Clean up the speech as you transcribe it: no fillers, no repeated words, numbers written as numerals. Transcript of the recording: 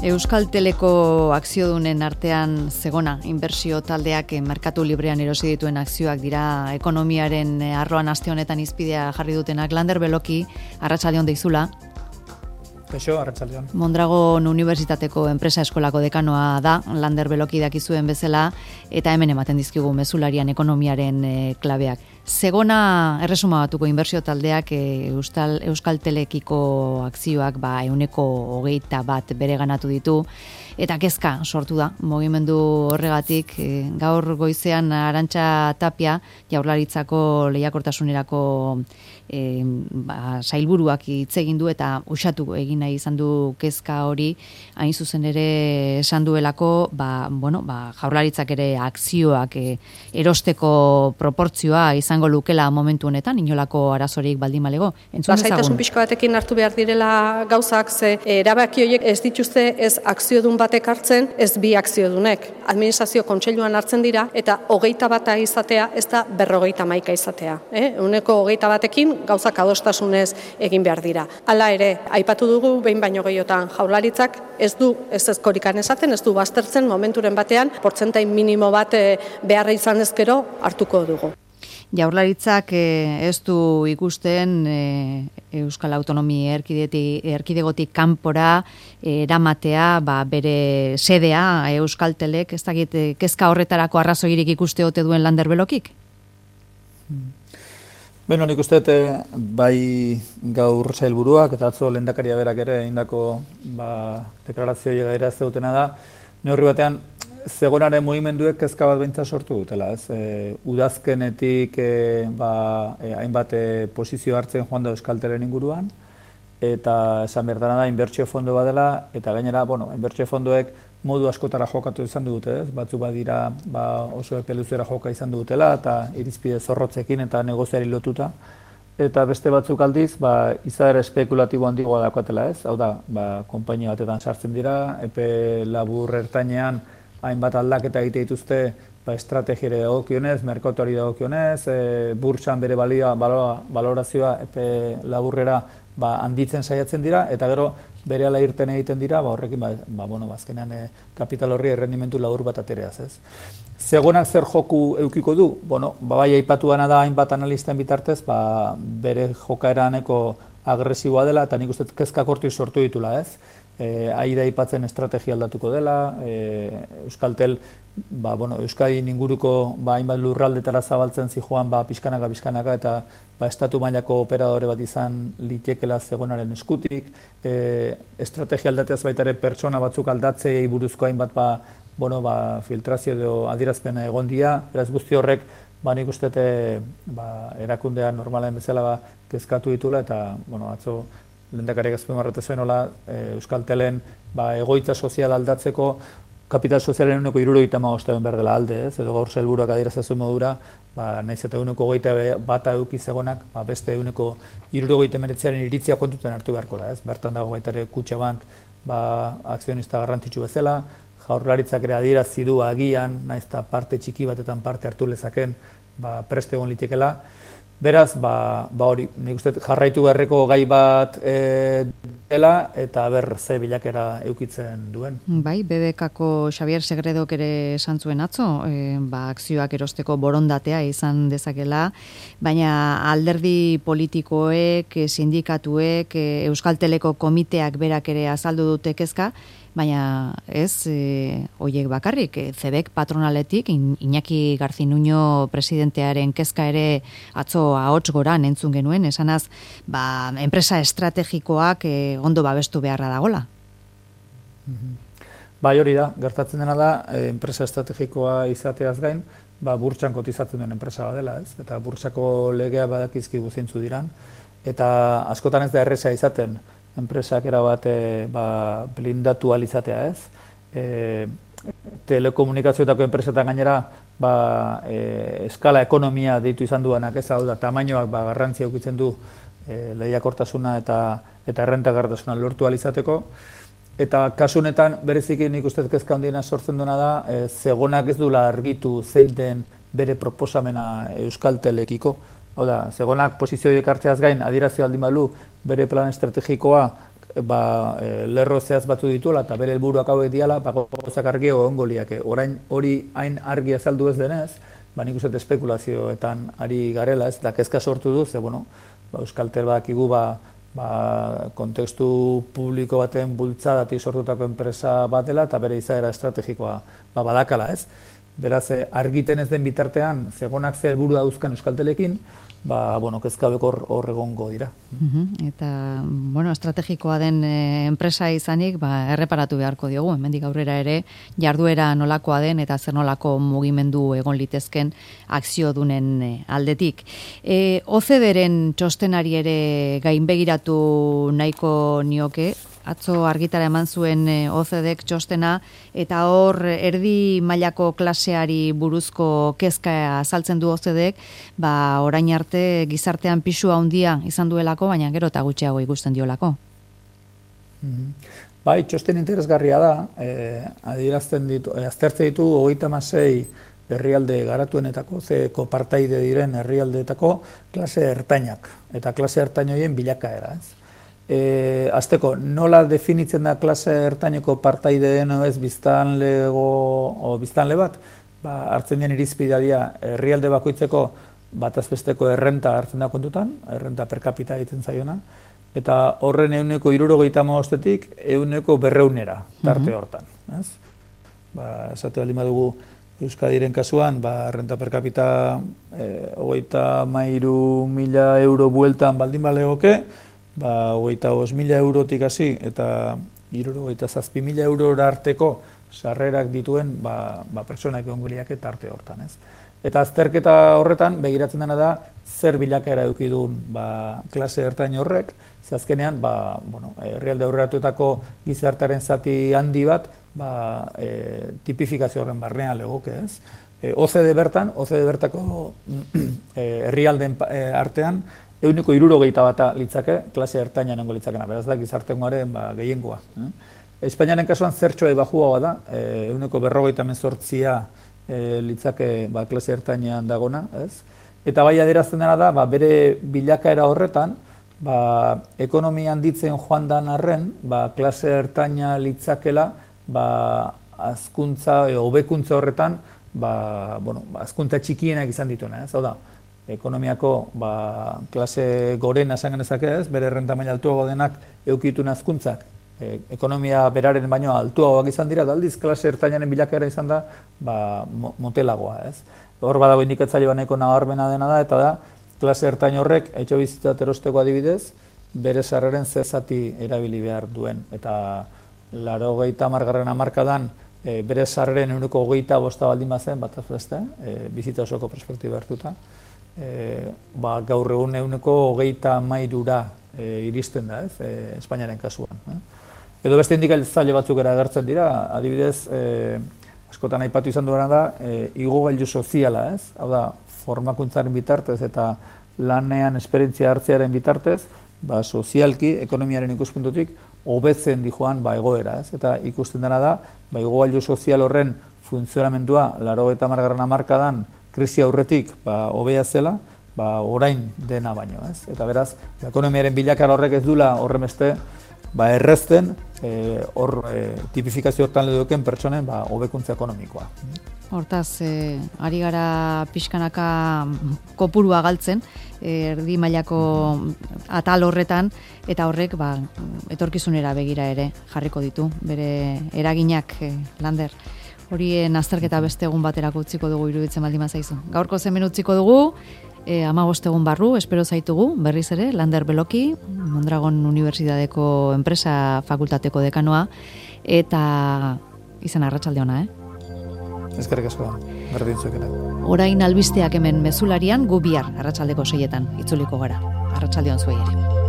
Euskalteleko akziodunen artean Zegona inbertsio taldeak merkatu librean erosi dituen akzioak dira ekonomiaren arloan aste honetan hizpidea jarri dutenak. Lander Beloki, arratsaldeon deizula. Kaixo, arratsaldeon. Mondragon Unibertsitateko enpresa eskolako dekanoa da, Lander Beloki dakizuen bezala, eta hemen ematen dizkigu mezularian ekonomiaren klabeak. Zegona erresuma batuko inbertsio taldeak Euskaltelekiko akzioak 121 bere ganatu ditu, eta kezka sortu da mugimendu horregatik. Gaur goizean Arantxa Tapia, Jaurlaritzako lehiakortasunerako sailburuak hitz egin du eta uxatu egin nahi izan du kezka hori, hain zuzen ere esan duelako, Jaurlaritzak ere akzioak erosteko proportzioa izango lukela momentu honetan, inolako arazorik baldin balego. Lasaitasun pixko batekin hartu behar direla gauzak, ze erabaki horiek ez dituzte ez akziodun batek hartzen, ez bi akziodunek. Administrazio kontseiluan hartzen dira, eta 21 izatea ez da 51 izatea. Ehuneko 21 batekin gauzak adostasunez egin behar dira. Hala ere, aipatu dugu behin baino gehiotan Jaurlaritzak ez du ezkorikan esaten, ez du baztertzen momenturen batean, portzentai minimo bat beharra izan ezkero hartuko dugu. Jaurlaritzak ez du ikusten Euskal Autonomi Erkidegotik kanpora eramatea bere sedea Euskaltelek, ez dakit kezka horretarako arrazoirik ikuste ote duen Lander Belokik? Beno, nik uste bai gaur sailburuak eta atzo lehendakaria berak ere egindako deklarazio gaira ez dutena da, neurri batean Zegonaren mugimenduek kezka bat beintza sortu dutela, ez? Udazkenetik hainbat posizio hartzen joan da Euskaltelen inguruan, eta esan berdana da inbertsio fondo bat dela, eta gainera, inbertsio fondoek modu askotara jokatu izan dute, ez? Batzu badira oso epe luzera joka izan dutela, eta irizpide zorrotzekin eta negoziari lotuta, eta beste batzuk aldiz, izaera espekulatibo handigoa daukatela, ez? Hau da, konpainia batetan sartzen dira, epe labur ertainean, hainbat aldaketa egite dituzte estrategiare dagokionez, merkatuari dagokionez, burtsan bere balorazioa epe laburrera handitzen saiatzen dira, eta gero berehala irten egiten dira, horrekin azkenean kapital horri errendimentu labur bat atereaz, ez. Zegonak zer joku eukiko du? Bai aipatu dena da hainbat analisten bitartez, bere jokaeraneko agresiboa dela, eta nik uste kezkak hortik sortu ditula, ez. Aida aipatzen estrategia aldatuko dela, Euskaltel Euskadin inguruko hainbat lurraldetara zabaltzen zijoan pixkanaka eta estatu mailako operadore bat izan litekela Zegonaren eskutik, estrategia aldateaz baita ere pertsona batzuk aldatzei buruzko hainbat filtrazio edo adierazpena egon dira, beraz guzti horrek nik uste erakundea normalen bezala kezkatu ditula, eta atzo lehendakariak azpimarratu zuen Euskaltelen egoitza sozial aldatzeko kapital sozialen 75 behar dela alde, ez? Edo gaur sailburuak adierazten modura, nahiz eta 121 eduki Zegonak, beste 179aren iritzia kontutan hartu beharko da, ez? Bertan dago baita ere Kutxabank akzionista garrantzitsu bezala, Jaurlaritzak ere adierazi du agian, nahiz eta parte txiki batetan parte hartu lezaken, prest egon litekela. Beraz, hori, nik uste jarraitu beharreko gai bat dela, eta ze bilakera eukitzen duen. Bai, BBK-ko Xabier Segredok ere esan zuen atzo, akzioak erosteko borondatea izan dezakela, baina alderdi politikoek, sindikatuek, Euskalteleko komiteak berak ere azaldu dute kezka, baina ez hoiek bakarrik, CEBEK patronaletik, Iñaki Garzinuño presidentearen kezka ere atzo ahots goran entzun genuen, esanaz, enpresa estrategikoak ondo babestu beharra dagola. Bai, hori da, gertatzen dena da, enpresa estrategikoa izateaz gain, burtsan kotizatzen duen enpresa bat dela, ez? Eta burtsako legea badakizkigu zeintzu diran, eta askotan ez da erresa izaten, enpresak erabat blindatu alizatea, ez? Telekomunikazioetako enpresetan gainera eskala ekonomia deitu izan duanak, ez? Hau da, tamainoak garrantzia eukitzen du lehiakortasuna eta errentagarritasuna lortu alizateko. Eta kasunetan bereziki nik uste kezka handiena sortzen duena da, Zegonak ez duela argitu zein den bere proposamena Euskaltelekiko. Hau da, Zegonak posizioak hartzeaz gain adierazi baldin balu bere plan estrategikoa lerro zehaz batzu dituela eta bere helburuak hauek diala, gauzak argi egongo liake. Orain hori hain argi azaldu ez denez, nik uste espekulazioetan ari garela, ez, da kezka sortu du, ze, Euskaltel badakigu, kontekstu publiko baten bultzadatik sortutako enpresa bat dela eta bere izaera estrategikoa badakala, ez. Beraz, argiten ez den bitartean, zegonak ze helburu dauzkan Euskaltelekin, kezka hor egongo dira. Eta, estrategikoa den enpresa izanik, erreparatu beharko diogu, hemendik aurrera ere, jarduera nolakoa den eta zer nolako mugimendu egon litezken akziodunen aldetik. OCDEren txostenari ere gainbegiratu nahiko nioke, atzo argitara eman zuen OCDEk txostena, eta hor erdi mailako klaseari buruzko kezka azaltzen du OCDEk, orain arte gizartean pisu handia izan duelako, baina gero eta gutxiago ikusten diolako. Bai, txosten interesgarria da, aztertzen ditu 36 herrialde garatuenetako, zeko partaide diren herrialdeetako klase ertainak, eta klase ertain horien bilakaera, ez. Azteko, nola definitzen da klase ertaineko partaide deno ez biztanle bat, hartzen den irizpidadia herrialde bakoitzeko batazbesteko errenta hartzen da kontutan, errenta per capita egiten zaiona, eta horren 175-tik 100-200 tarte hortan. Esate baldin badugu Euskadiren kasuan, errenta per capita 33.000 euro bueltan baldin balegoke, 25.000 eurotik hasi eta 67.000 eurora arteko sarrerak dituen pertsonak egongo liake tarte hortan, ez. Eta azterketa horretan begiratzen dena da zer bilakaera eduki duen klase ertain horrek, ze azkenean herrialde aurreratuetako gizartearen zati handi bat tipifikazio horren barnean legoke, ez. OCDE bertako herrialdeen artean 171 litzake klase ertaina nengo litzakena, beraz da gizartengoaren gehiengoa. Espainiaren kasuan zertxoa bajua da, 158 litzake klase ertainean dagona, ez? Eta bai adierazten dena da, bere bilakaera horretan, ekonomia handitzen joan dan arren, klase ertaina litzakela, azkuntza, hobekuntza horretan, azkuntza txikienak izan dituena, ez? Hau da, ekonomiako klase gorena esan genezake ez, bere errenta maila altuago denak eukitun azkuntzak, ekonomia beraren baino altuagoak izan dira, aldiz klase ertainaren bilakaera izan da motelagoa, ez. Hor badago indikatzaile baneko nabarmena dena da, eta da, klase ertain horrek, etxebizitza erosteko adibidez, bere sarreren zezati erabili behar duen, eta 80. hamarkadan bere sarreren 125 baldin bazen, bataz beste, bizitza osoko perspektiba hartuta, gaur egun 133 iristen da, ez, Espainiaren kasuan. Edo beste indikatzaile batzuk agertzen dira, adibidez, askotan aipatu izan duena da, igogailu soziala, ez? Hau da, formakuntzaren bitartez eta lanean esperientzia hartzearen bitartez, sozialki, ekonomiaren ikuspuntutik, hobetzen dijoan egoera, ez? Eta ikusten dena da, igogailu sozial horren funtzionamendua 80. hamarkadan krisi aurretik hobea zela, orain dena baino, ez? Eta beraz, ekonomiaren bilakara horrek ez dula horremeste errezten tipifikazio hortan leduken pertsonen hobekuntza ekonomikoa. Hortaz, ari gara pixkanaka kopurua galtzen, erdi mailako atal horretan, eta horrek etorkizunera begira ere jarriko ditu, bere eraginak, Lander. Horien azterketa beste egun baterako utziko dugu iruditzen baldin bazaizu. Gaurko hemen utziko dugu, 15 egun barru, espero zaitugu, berriz ere, Lander Beloki, Mondragon Unibertsitateko Enpresa Fakultateko dekanoa, eta izan arratsalde ona, Eskerrik asko, berdin zuekena. Orain albisteak hemen mezularian, gu bihar arratsaldeko 6etan itzuliko gara. Arratsalde on zuei ere.